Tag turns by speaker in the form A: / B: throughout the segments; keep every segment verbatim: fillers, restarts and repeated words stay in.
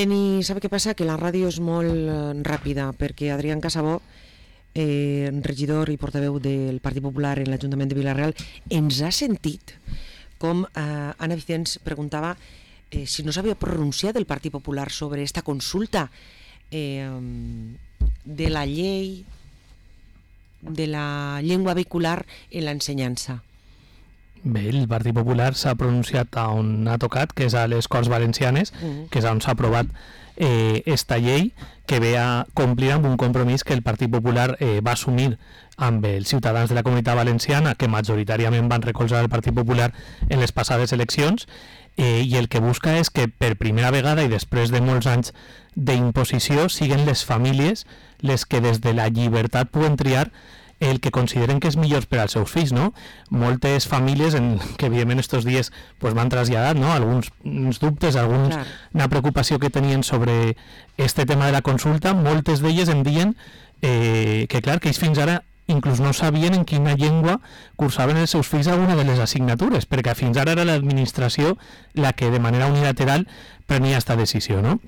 A: Teni, sabe què passa? Que la ràdio és molt eh, ràpida, perquè Adrián Casabó, eh, regidor i portaveu del Partit Popular en l'Ajuntament de Vila-real, ens ha sentit com eh, Anna Vicens preguntava eh, si no s'havia pronunciat el Partit Popular sobre esta consulta eh, de la llei de la llengua vehicular en l'ensenyança.
B: Bé, el Partit Popular s'ha pronunciat on ha tocat, que és a les Corts Valencianes, mm. que és on s'ha aprovat eh, esta llei, que ve a complir amb un compromís que el Partit Popular eh, va assumir amb els ciutadans de la Comunitat Valenciana, que majoritàriament van recolzar el Partit Popular en les passades eleccions, eh, i el que busca és que per primera vegada i després de molts anys d'imposició siguin les famílies les que des de la llibertat puguen triar el que consideren que és millor per als seus fills, no? Moltes famílies en, que evidentment estos dies pues, van traslladar, no? Alguns dubtes, alguns, claro. Una preocupació que tenien sobre este tema de la consulta, moltes d'elles em diuen eh, que clar, que ells fins ara inclús no sabien en quina llengua cursaven els seus fills alguna de les assignatures, perquè fins ara era l'administració la que de manera unilateral prenia aquesta decisió, no?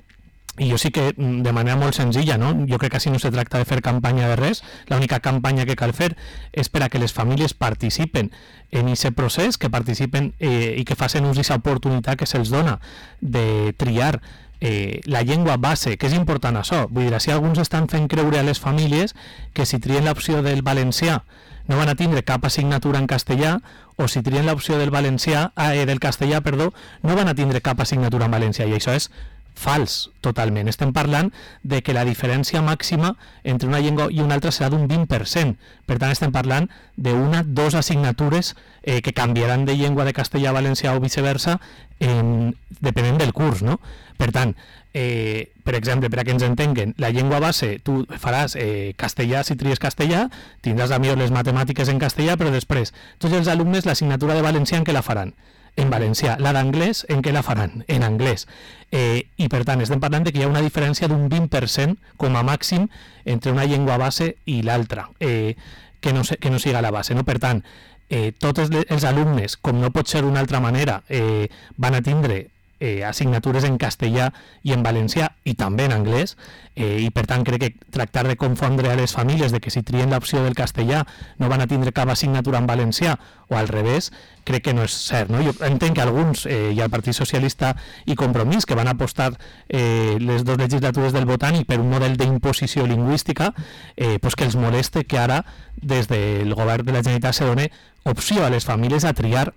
B: I jo sí que de manera molt senzilla, no? Jo crec que així no se tracta de fer campanya de res, l'única campanya que cal fer és per a que les famílies participen en aquest procés, que participen eh, i que facin ús d'aquesta oportunitat que se'ls dona de triar eh, la llengua base, que és important això. Vull dir, si alguns estan fent creure a les famílies que si trien l'opció del valencià no van a tindre cap assignatura en castellà, o si trien l'opció del valencià, eh, del castellà, perdó, no van a tindre cap assignatura en valencià, i això és fals, totalment. Estem parlant de que la diferència màxima entre una llengua i una altra serà d'un vint per cent. Per tant, estem parlant d'una, dos assignatures eh, que canviaran de llengua de castellà a valencià o viceversa en, depenent del curs, no? Per tant, eh, per exemple, per a que ens entenguen, la llengua base, tu faràs eh, castellà si tries castellà, tindràs a millor les matemàtiques en castellà, però després tots els alumnes l'assignatura de valencià en què la faran? En valencià. La d'anglès, en què la faran? En anglès. Eh, I per tant, estem parlant de que hi ha una diferència d'un vint per cent com a màxim entre una llengua base i l'altra, eh, que, no, que no siga la base, no? Per tant, eh, tots els alumnes, com no pot ser d'una altra manera, eh, van a tindre eh, assignatures en castellà i en valencià i també en anglès, eh, i per tant crec que tractar de confondre a les famílies de que si trien l'opció del castellà no van a tindre cap assignatura en valencià o al revés, crec que no és cert, no? Jo entenc que alguns, eh, i el Partit Socialista i Compromís, que van apostar eh, les dues legislatures del Botànic per un model d'imposició lingüística, eh, pues que els moleste que ara des del govern de la Generalitat se doni opció a les famílies a triar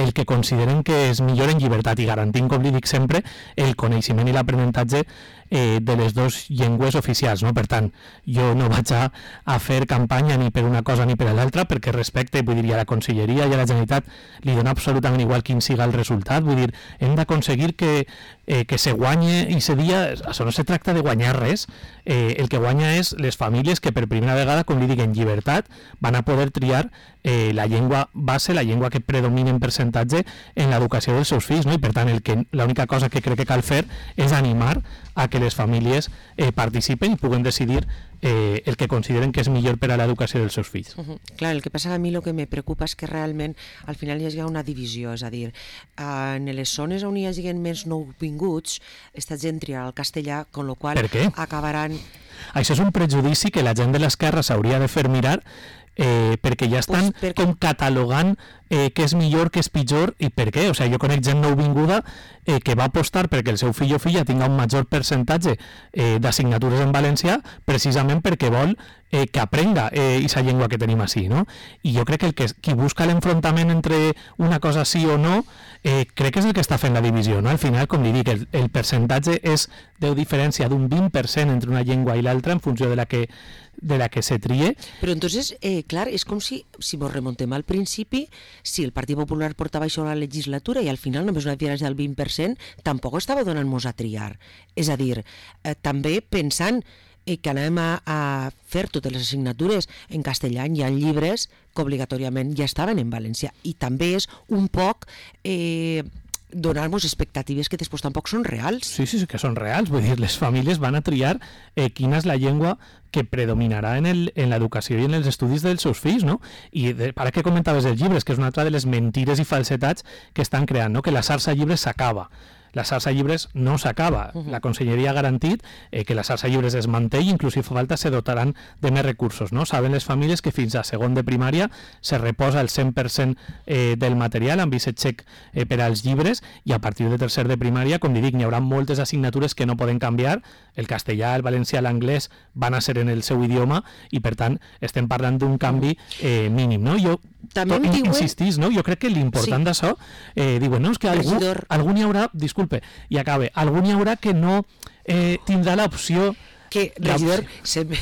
B: el que consideren que és millor en llibertat i garantint, com li dic sempre, el coneixement i l'aprenentatge eh, de les dues llengües oficials, no? Per tant, jo no vaig a, a fer campanya ni per una cosa ni per l'altra, perquè respecte, vull dir, a la Conselleria i a la Generalitat li dona absolutament igual quin siga el resultat. Vull dir, hem d'aconseguir que, eh, que se guanye i se dia, això no se tracta de guanyar res, eh, el que guanya és les famílies que per primera vegada, com li dic, en llibertat van a poder triar eh, la llengua base, la llengua que predomina en percentatge en l'educació dels seus fills, no? I per tant, el que, l'única cosa que crec que cal fer és animar a que les famílies eh, participen i puguen decidir eh, el que consideren que és millor per a l'educació dels seus fills.
A: Uh-huh. Clar, el que passa a mi el que me preocupa és que realment al final hi ha una divisió, és a dir, uh, en les zones on hi hagi més nouvinguts, esta gent triarà el castellà, con lo qual acabaran...
B: Això és un prejudici que la gent de l'esquerra s'hauria de fer mirar, eh, perquè ja estan pues perquè... com catalogant eh, què és millor, què és pitjor i per què. O sigui, jo conec gent nouvinguda eh, que va apostar perquè el seu fill o filla tinga un major percentatge eh, d'assignatures en valencià precisament perquè vol eh, que aprenga aquesta eh, llengua que tenim així, no? I jo crec que, el que qui busca l'enfrontament entre una cosa sí o no eh, crec que és el que està fent la divisió, no? Al final, com li dic, el, el percentatge és de diferència d'un vint per cent entre una llengua i l'altra en funció de la que de la que se trie.
A: Però entonces, eh, clar, és com si, si ens remontem al principi, si el Partit Popular portava això a la legislatura i al final només una diferència del vint per cent, tampoc estava donant-nos a triar. És a dir, eh, també pensant eh, que anem a, a fer totes les assignatures en castellà, hi ha llibres que obligatòriament ja estaven en valencià, i també és un poc... Eh, donar-nos expectatives que després tampoc són reals.
B: Sí, sí, sí que són reals. Vull dir, les famílies van a triar eh, quina és la llengua que predominarà en, el, en l'educació i en els estudis dels seus fills, no? I de, ara que comentaves els llibres, que és una altra de les mentires i falsetats que estan creant, no? Que la xarxa de llibres s'acaba. la xarxa llibres no s'acaba. Uh -huh. La Conselleria ha garantit eh, que la xarxa llibres es manté i inclús si fa falta se dotaran de més recursos, no? Saben les famílies que fins a segon de primària se reposa el cent per cent eh, del material amb aquest xec eh, per als llibres, i a partir de tercer de primària, com dic, n'hi haurà moltes assignatures que no poden canviar. El castellà, el valencià, l'anglès van a ser en el seu idioma i, per tant, estem parlant d'un canvi eh, mínim, no? Jo
A: també em diuen...
B: insistís, no? Jo crec que l'important sí. d'això, eh, diuen, no, és que algú, algú n'hi haurà, disculpe, i acabe, algú n'hi haurà que no eh, tindrà l'opció
A: que, regidor, se me...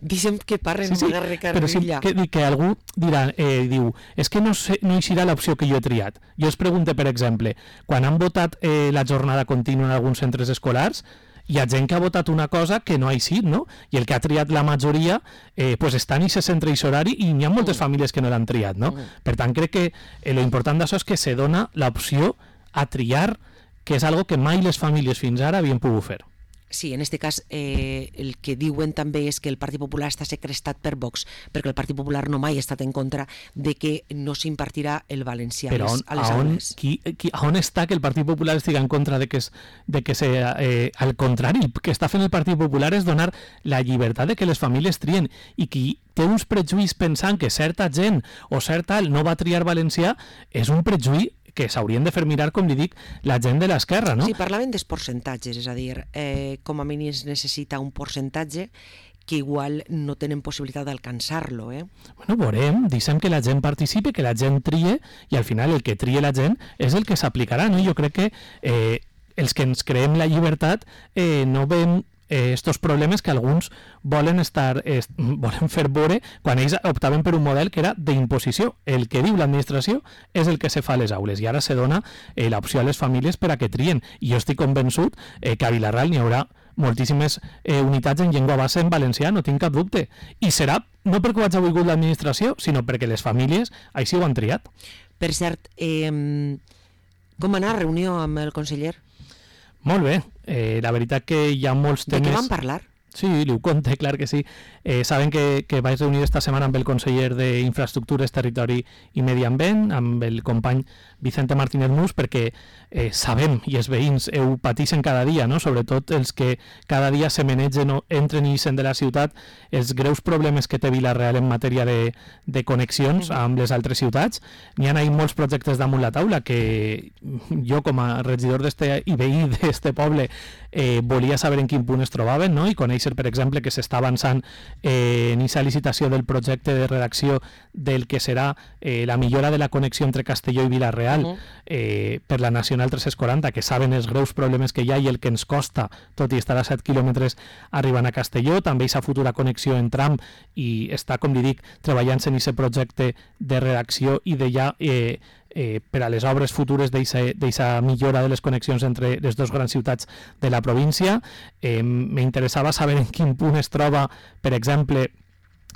A: dicen que parlen sí, sí,
B: però sí, que, que algú dirà, eh, diu, és que no, sé, no hi serà l'opció que jo he triat. Jo es pregunto, per exemple, quan han votat eh, la jornada contínua en alguns centres escolars, hi ha gent que ha votat una cosa que no ha eixit, no? I el que ha triat la majoria eh, pues està en aquest centre i horari, i n'hi ha moltes mm. famílies que no l'han triat, no? Mm. Per tant, crec que eh, lo important d'això és que se dona l'opció a triar, que és algo que mai les famílies fins ara havien pogut fer.
A: Sí, en aquest cas eh, el que diuen també és que el Partit Popular està segrestat per Vox, perquè el Partit Popular no mai ha estat en contra de que no s'impartirà el valencià
B: Però on,
A: a les
B: a on,
A: aules.
B: Qui, qui, a on està que el Partit Popular estigui en contra de que, es, de que se, eh, al contrari, el que està fent el Partit Popular és donar la llibertat de que les famílies trien, i qui té uns prejuïs pensant que certa gent o certa no va triar valencià és un prejuïç que s'haurien de fer mirar, com li dic, la gent de l'esquerra, no?
A: Sí, parlaven dels percentatges, és a dir, eh, com a mínim es necessita un percentatge que igual no tenen possibilitat d'alcançar-lo, eh?
B: Bueno, veurem, deixem que la gent participi, que la gent trie, i al final el que trie la gent és el que s'aplicarà, no? Jo crec que eh, els que ens creem la llibertat eh, no veiem eh, estos problemes que alguns volen estar eh, volen fer veure quan ells optaven per un model que era d'imposició. El que diu l'administració és el que se fa a les aules, i ara se dona eh, l'opció a les famílies per a que trien, i jo estic convençut eh, que a Vila-real n'hi haurà moltíssimes eh, unitats en llengua base en valencià, no tinc cap dubte, i serà no perquè ho hagi volgut l'administració, sinó perquè les famílies així ho han triat.
A: Per cert, eh, com anar a reunió amb el conseller?
B: Molt bé, eh, la veritat que hi ha molts temes...
A: De què van parlar?
B: Sí, li ho conté, clar que sí. Eh, saben que, que vaig reunir esta setmana amb el conseller d'Infraestructures, Territori i Medi Ambient, amb el company Vicente Martínez Mus, perquè eh, sabem, i els veïns ho pateixen cada dia, no? Sobretot els que cada dia se menegen o entren i ixen de la ciutat, els greus problemes que té Vila-real en matèria de, de connexions amb les altres ciutats. N'hi ha ahí molts projectes damunt la taula que jo, com a regidor d'este i veí d'este poble, eh, volia saber en quin punt es trobaven, no? I conèixer, per exemple, que s'està avançant eh, en aquesta licitació del projecte de redacció del que serà eh, la millora de la connexió entre Castelló i Vila-real uh -huh. eh, per la Nacional tres-cents quaranta, que saben els greus problemes que hi ha i el que ens costa, tot i estar a set quilòmetres arribant a Castelló, també aquesta futura connexió en tram, i està, com li dic, treballant-se en aquest projecte de redacció i de ja eh, eh, per a les obres futures d'aquesta millora de les connexions entre les dues grans ciutats de la província. Eh, m'interessava saber en quin punt es troba, per exemple,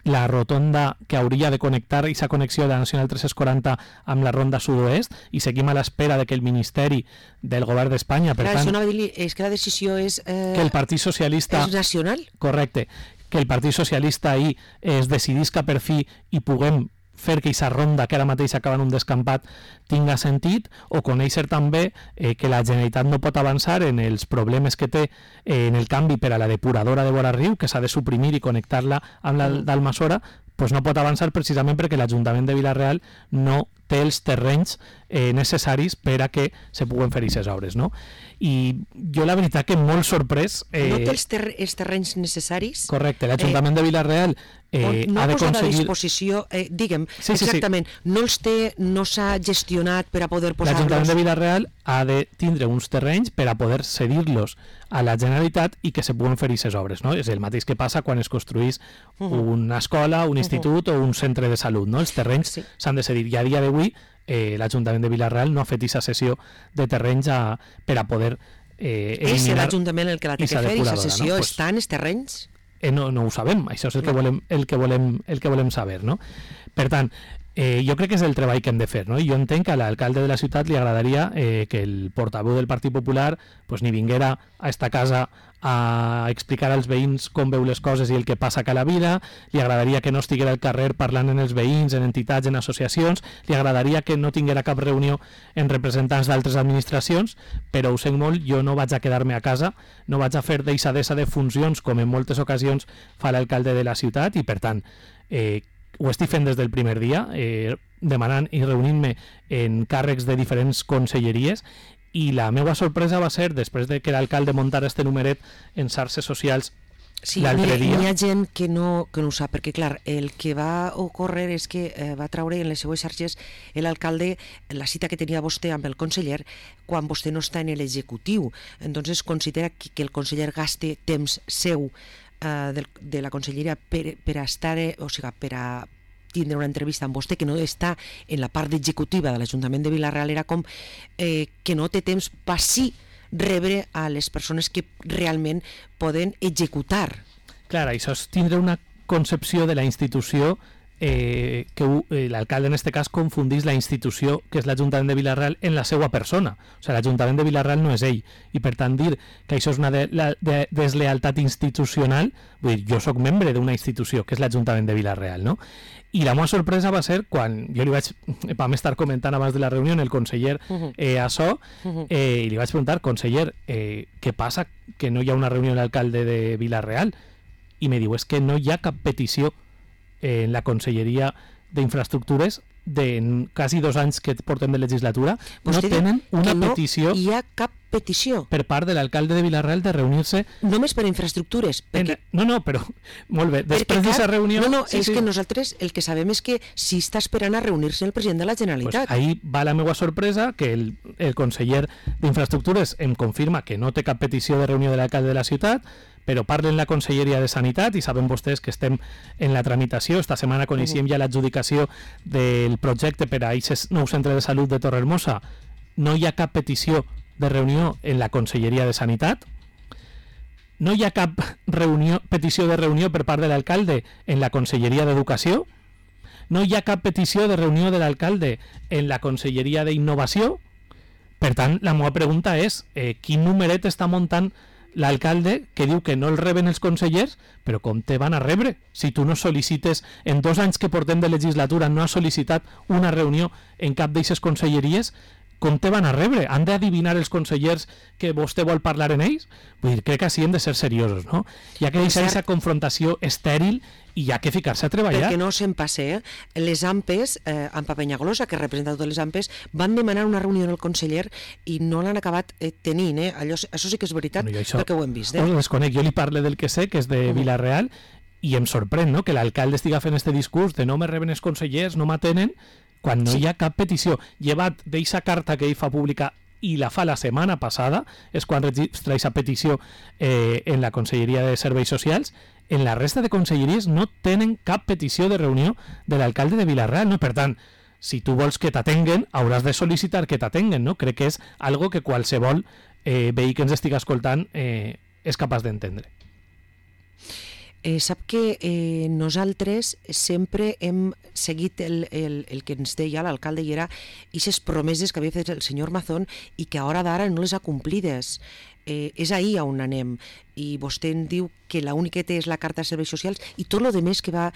B: la rotonda que hauria de connectar aquesta connexió de la Nacional tres-cents quaranta amb la ronda sud-oest, i seguim a l'espera de que el Ministeri del Govern d'Espanya, per
A: Clar,
B: tant...
A: Això dir, és que la decisió és... Eh,
B: que el Partit Socialista...
A: És nacional?
B: Correcte. Que el Partit Socialista ahir es decidisca per fi i puguem fer que aquesta ronda, que ara mateix acaba en un descampat, tinga sentit, o conèixer també eh, que la Generalitat no pot avançar en els problemes que té eh, en el canvi per a la depuradora de vora riu, que s'ha de suprimir i connectar-la amb la d'Almassora, pues no pot avançar precisament perquè l'Ajuntament de Vila-real no té els terrenys eh, necessaris per a que se puguen fer aquestes obres, no? I jo la veritat que molt sorprès...
A: Eh... No té els, ter els terrenys necessaris?
B: Correcte, l'Ajuntament eh... de Vila-real eh,
A: no
B: ha de
A: aconseguir... a disposició, eh, digue'm,
B: sí,
A: exactament,
B: sí, sí.
A: no els té, no s'ha gestionat per a poder posar-los...
B: L'Ajuntament de Vila-real ha de tindre uns terrenys per a poder cedir-los a la Generalitat i que se puguen fer aquestes obres, no? És el mateix que passa quan es construís uh -huh. una escola, un institut uh -huh. o un centre de salut, no? Els terrenys s'han sí. de cedir, i a dia d'avui eh, l'Ajuntament de Vila-real no ha fet aquesta cessió de terrenys a, per a poder eh,
A: eliminar... És l'Ajuntament el que la té que fer, aquesta cessió, no? Pues, està en els terrenys?
B: Eh, no, no ho sabem, això és el que volem, el que volem, el que volem saber, no? Per tant, Eh, jo crec que és el treball que hem de fer, no? I jo entenc que a l'alcalde de la ciutat li agradaria eh, que el portaveu del Partit Popular pues, ni vinguera a esta casa a explicar als veïns com veu les coses i el que passa a cada vida, li agradaria que no estiguera al carrer parlant en els veïns, en entitats, en associacions, li agradaria que no tinguera cap reunió en representants d'altres administracions, però ho sent molt, jo no vaig a quedar-me a casa, no vaig a fer deixadesa de funcions com en moltes ocasions fa l'alcalde de la ciutat i per tant, eh, ho estic fent des del primer dia, eh, demanant i reunint-me en càrrecs de diferents conselleries i la meva sorpresa va ser, després de que l'alcalde muntara este numeret en xarxes socials
A: sí,
B: l'altre dia...
A: Hi ha gent que no, que no ho sap, perquè clar, el que va ocórrer és que eh, va traure en les seues xarxes l'alcalde la cita que tenia vostè amb el conseller quan vostè no està en l'executiu. Entonces considera que, que el conseller gaste temps seu de, de la conselleria per, per a estar, o sigui, per a tindre una entrevista amb vostè que no està en la part executiva de l'Ajuntament de Vila-real, era com eh, que no té temps per sí rebre a les persones que realment poden executar.
B: Clar, això és tindre una concepció de la institució eh, que eh, l'alcalde en aquest cas confundís la institució que és l'Ajuntament de Vila-real en la seva persona. O sigui, l'Ajuntament de Vila-real no és ell. I per tant dir que això és una de, la, de, deslealtat institucional, vull dir, jo sóc membre d'una institució que és l'Ajuntament de Vila-real, no? I la meva sorpresa va ser quan jo li vaig, vam estar comentant abans de la reunió el conseller eh, Açò, eh, i li vaig preguntar, conseller, eh, què passa que no hi ha una reunió amb l'alcalde de Vila-real? I me diu, és que no hi ha cap petició en la Conselleria d'Infraestructures de quasi dos anys que portem de legislatura, no tenen una petició...
A: No hi ha cap petició
B: per part de l'alcalde de Vila-real de reunir-se...
A: Només per a infraestructures. Perquè...
B: En... No, no, però molt bé. Després d'aquesta reunió...
A: No, no, sí, és sí. que nosaltres el que sabem és que sí està esperant a reunir-se el president de la Generalitat.
B: Pues ahí va la meva sorpresa, que el, el conseller d'Infraestructures em confirma que no té cap petició de reunió de l'alcalde de la ciutat, però parlen la Conselleria de Sanitat i saben vostès que estem en la tramitació. Esta setmana coneixíem ja l'adjudicació del projecte per a aquest nou centre de salut de Torrehermosa. No hi ha cap petició de reunió en la Conselleria de Sanitat. No hi ha cap reunió, petició de reunió per part de l'alcalde en la Conselleria d'Educació. No hi ha cap petició de reunió de l'alcalde en la Conselleria d'Innovació. Per tant, la meva pregunta és eh, quin numeret està muntant l'alcalde que diu que no el reben els consellers, però com te van a rebre? Si tu no sol·licites, en dos anys que portem de legislatura no has sol·licitat una reunió en cap d'eixes conselleries, com te van a rebre? Han d'adivinar els consellers que vostè vol parlar en ells? Vull dir, crec que així hem de ser seriosos, no? Hi ha que deixar aquesta confrontació estèril i hi ha que ficar-se a treballar.
A: Perquè no se'n passe, eh? Les A M P E S, eh, Ampa Penyagolosa, que representa totes les A M P E S, van demanar una reunió amb el conseller i no l'han acabat eh, tenint, eh? Allò, això sí que és veritat, bueno, això, perquè ho hem vist. Eh?
B: Us desconec, jo li parle del que sé, que és de uh-huh. Vila-real, i em sorprèn, no?, que l'alcalde estiga fent este discurs de no me reben els consellers, no m'atenen, quan no sí. hi ha cap petició. Llevat d'eixa carta que ell fa pública i la fa la setmana passada, és quan registra aquesta petició eh, en la Conselleria de Serveis Socials, en la resta de conselleries no tenen cap petició de reunió de l'alcalde de Vila-real, no? Per tant, si tu vols que t'atenguen, hauràs de sol·licitar que t'atenguen, no? Crec que és algo que qualsevol eh, veí que ens estigui escoltant eh, és capaç d'entendre.
A: Eh, sap que eh, nosaltres sempre hem seguit el, el, el que ens deia l'alcalde i era aquestes promeses que havia fet el senyor Mazón i que a hora d'ara no les ha complides. Eh, és ahir on anem i vostè em diu que l'única que té és la carta de serveis socials i tot el més que va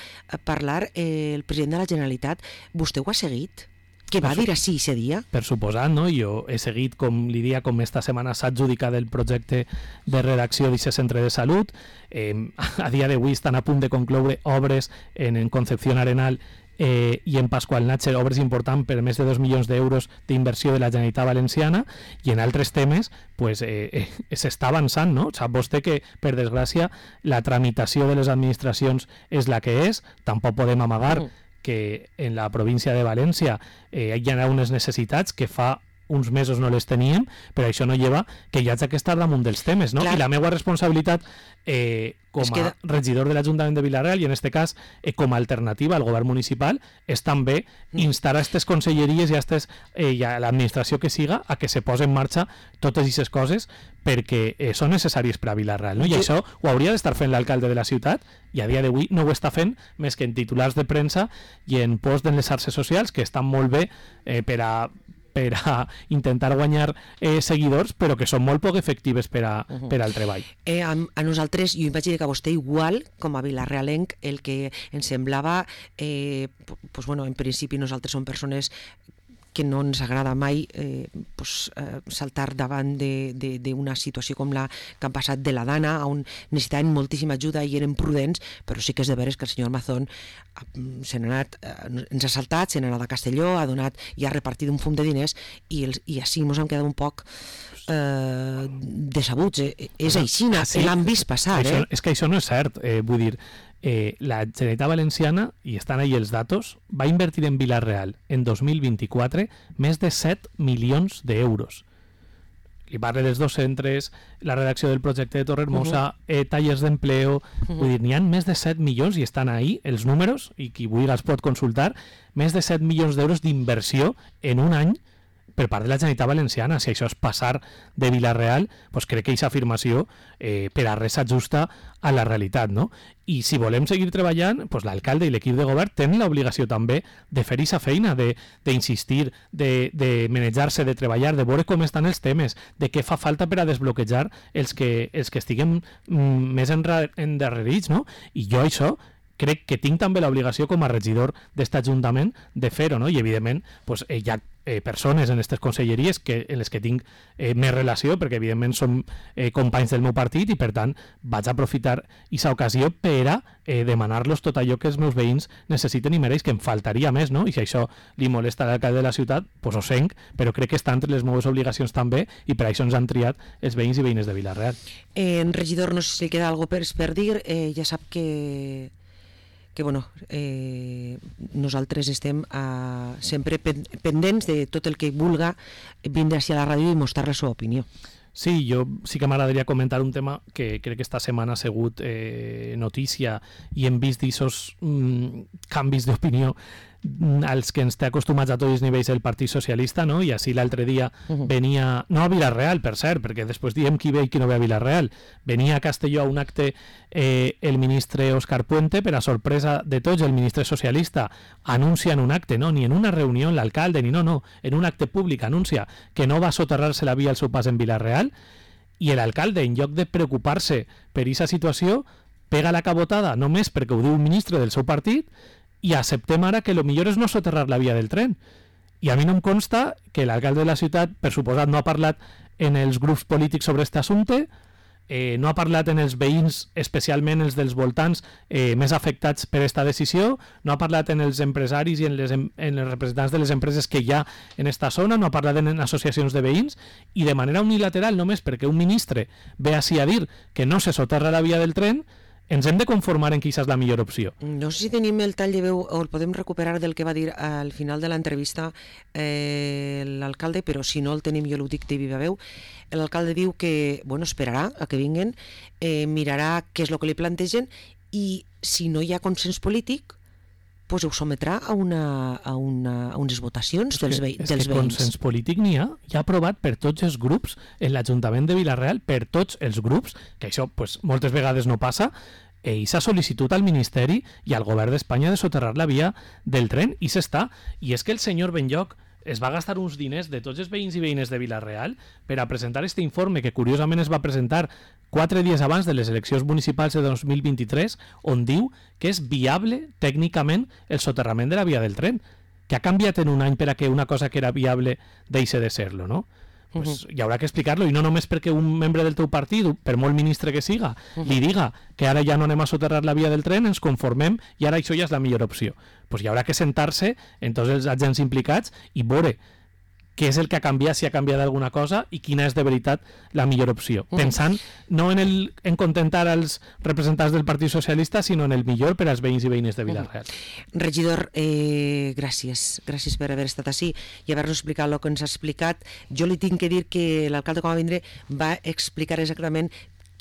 A: parlar eh, el president de la Generalitat, vostè ho ha seguit? Què va dir així aquest dia?
B: Per suposat, no? Jo he seguit, com li dia, com esta setmana s'ha adjudicat el projecte de redacció d'aquest centre de salut. Eh, a dia d'avui estan a punt de concloure obres en, en Concepción Arenal eh, i en Pasqual Natxer, obres importants per més de dos milions d'euros d'inversió de la Generalitat Valenciana, i en altres temes pues, eh, eh, s'està avançant, no? Sap vostè que, per desgràcia, la tramitació de les administracions és la que és, tampoc podem amagar mm. que en la província de València eh, hi ha unes necessitats que fa uns mesos no les teníem, però això no lleva que hi hagi que estar damunt dels temes, no? Clar. I la meva responsabilitat eh, com a que... regidor de l'Ajuntament de Vila-real i en este cas eh, com a alternativa al govern municipal és també instar a aquestes conselleries i a, estes, eh, i a l'administració que siga a que se posen en marxa totes aquestes coses perquè eh, són necessàries per a Vila-real, no? I sí. Això ho hauria d'estar fent l'alcalde de la ciutat i a dia d'avui no ho està fent més que en titulars de premsa i en posts en les xarxes socials que estan molt bé eh, per a per a intentar guanyar eh, seguidors, però que són molt poc efectives per, a, uh-huh. per al treball.
A: Eh, a, a nosaltres, jo imagino que a vostè igual, com a Vila-realenc, el que ens semblava, eh, pues, bueno, en principi nosaltres som persones que no ens agrada mai eh, pues, eh, saltar davant d'una situació com la que han passat de la Dana, on necessitaven moltíssima ajuda i eren prudents, però sí que és de veres que el senyor Mazón se n'ha anat, eh, ens ha saltat, se n'ha anat a Castelló, ha donat i ha repartit un fum de diners i, els, i així ens hem quedat un poc eh, decebuts. Eh, és així, ah, sí. L'han vist passar.
B: Això,
A: eh?
B: És que això no és cert, eh, vull dir, Eh, la Generalitat Valenciana, i estan ahí els datos, va invertir en Vila-real en dos mil vint-i-quatre més de set milions d'euros. Li parle dels dos centres, la redacció del projecte de Torrehermosa, uh-huh. eh, tallers d'empleo, uh-huh. vull dir, n'hi ha més de set milions i estan ahí els números, i qui vulgui els pot consultar, més de set milions d'euros d'inversió en un any per part de la Generalitat Valenciana. Si això és passar de Vila-real, doncs crec que aquesta afirmació eh, per a res s'ajusta a la realitat, no? I si volem seguir treballant, doncs l'alcalde i l'equip de govern tenen l'obligació també de fer aquesta feina, d'insistir, de, de manejar-se, de treballar, de veure com estan els temes, de què fa falta per a desbloquejar els que, els que estiguem mm, més endarrerits, no? I jo això crec que tinc també l'obligació com a regidor d'aquest Ajuntament de fer-ho, no? I evidentment pues, eh, hi ha eh, persones en aquestes conselleries que, en les que tinc eh, més relació, perquè evidentment som eh, companys del meu partit i per tant vaig aprofitar aquesta ocasió per a eh, demanar-los tot allò que els meus veïns necessiten i mereix, que em faltaria més, no? I si això li molesta a l'alcalde de la ciutat, pues ho senc, però crec que està entre les meves obligacions també i per això ens han triat els veïns i veïnes de Vila-real.
A: Eh, regidor, no sé si li queda alguna cosa per dir, eh, ja sap que que bueno, eh, nosaltres estem eh, sempre pendents de tot el que vulga vindre a la ràdio i mostrar la seva opinió.
B: Sí, jo sí que m'agradaria comentar un tema que crec que esta setmana ha sigut eh, notícia i hem vist d'aquests mm, canvis d'opinió als que ens té acostumats a tots els nivells el Partit Socialista, no? I així l'altre dia uh-huh. venia, no a Vila-real, per cert, perquè després diem qui ve i qui no ve a Vila-real, venia a Castelló a un acte eh, el ministre Òscar Puente, per a sorpresa de tots, el ministre socialista anuncia en un acte, no? Ni en una reunió l'alcalde, ni no, no, en un acte públic anuncia que no va soterrar-se la via al seu pas en Vila-real, i l'alcalde, en lloc de preocupar-se per aquesta situació, pega la cabotada només perquè ho diu un ministre del seu partit i acceptem ara que el millor és no soterrar la via del tren. I a mi no em consta que l'alcalde de la ciutat, per suposat, no ha parlat en els grups polítics sobre aquest assumpte, eh, no ha parlat en els veïns, especialment els dels voltants eh, més afectats per aquesta decisió, no ha parlat en els empresaris i en les, en els representants de les empreses que hi ha en aquesta zona, no ha parlat en associacions de veïns, i de manera unilateral, només perquè un ministre ve així a dir que no se soterra la via del tren, ens hem de conformar en qui és la millor opció.
A: No sé si tenim el tall de veu o el podem recuperar del que va dir al final de l'entrevista eh, l'alcalde, però si no el tenim jo ho dic de viva veu. L'alcalde diu que bueno, esperarà a que vinguen, eh, mirarà què és el que li plantegen i si no hi ha consens polític pues ho sometrà a, una, a, una, a unes votacions dels, ve
B: és
A: dels
B: que
A: veïns.
B: Consens polític n'hi ha, ja aprovat per tots els grups en l'Ajuntament de Vila-real, per tots els grups, que això pues, moltes vegades no passa, i s'ha sol·licitud al Ministeri i al Govern d'Espanya de soterrar la via del tren, i s'està. I és que el senyor Benlloc es va gastar uns diners de tots els veïns i veïnes de Vila-real per a presentar aquest informe, que curiosament es va presentar quatre dies abans de les eleccions municipals de dos mil vint-i-tres, on diu que és viable tècnicament el soterrament de la via del tren, que ha canviat en un any per a que una cosa que era viable deixi de ser-lo, no? Pues uh-huh. hi haurà que explicar-lo, i no només perquè un membre del teu partit, per molt ministre que siga, uh-huh. li diga que ara ja no anem a soterrar la via del tren, ens conformem i ara això ja és la millor opció. Pues hi haurà que sentar-se en tots els agents implicats i veure què és el que ha canviat, si ha canviat alguna cosa i quina és de veritat la millor opció. Mm. Pensant no en, el, en contentar els representants del Partit Socialista, sinó en el millor per als veïns i veïnes de Vila-real.
A: Mm. Regidor, eh, gràcies. Gràcies per haver estat així i haver-nos explicat el que ens ha explicat. Jo li tinc que dir que l'alcalde, com va vindre, va explicar exactament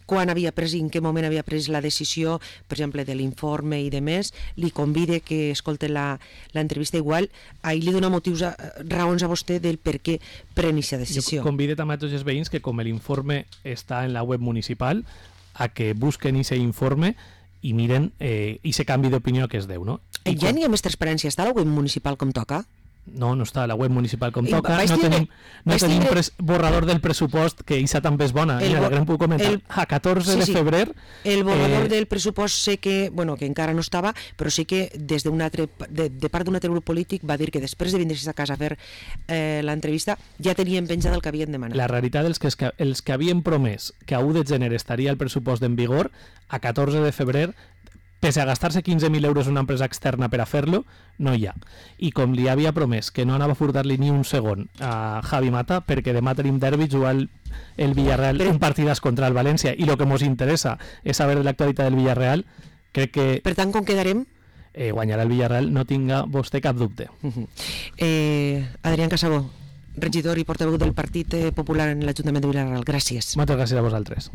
A: quan havia pres i en què moment havia pres la decisió, per exemple, de l'informe i de més. Li convide que escolte l'entrevista igual. Ahir li dona motius, a, raons a vostè del per què pren aquesta decisió.
B: Jo convide també a tots els veïns que, com l'informe està en la web municipal, a que busquen aquest informe i miren eh, i se canvi d'opinió que es deu, no? I
A: ja quan... n'hi ha més transparència? Està a la web municipal com toca?
B: No, no està a la web municipal com
A: I
B: toca. No
A: tindre,
B: tenim, no tenim
A: tindre...
B: pres, borrador del pressupost, que Isa també és bona.
A: El,
B: Mira, la gran puc comentar. El, a catorze sí, sí. de febrer...
A: El borrador eh... del pressupost sé que, bueno, que encara no estava, però sé que des d'un altre, de, de part d'un altre grup polític va dir que després de vindre a casa a fer eh, l'entrevista ja tenien penjat el que havien demanat.
B: La realitat és que els que, els que havien promès que a u de gener estaria el pressupost en vigor, a catorze de febrer, pese a gastar-se quinze mil euros una empresa externa per a fer-lo, no hi ha. I com li havia promès que no anava a furtar-li ni un segon a Javi Mata, perquè demà tenim derbi, jugar el, el Villarreal Però... un partidàs contra el València, i el que ens interessa és saber de l'actualitat del Villarreal, crec que...
A: Per tant, com quedarem?
B: Eh, guanyarà el Villarreal, no tinga vostè cap dubte.
A: Uh-huh. eh, Adrián Casabó, regidor i portaveu del Partit Popular en l'Ajuntament de Villarreal, gràcies.
B: Moltes gràcies a vosaltres.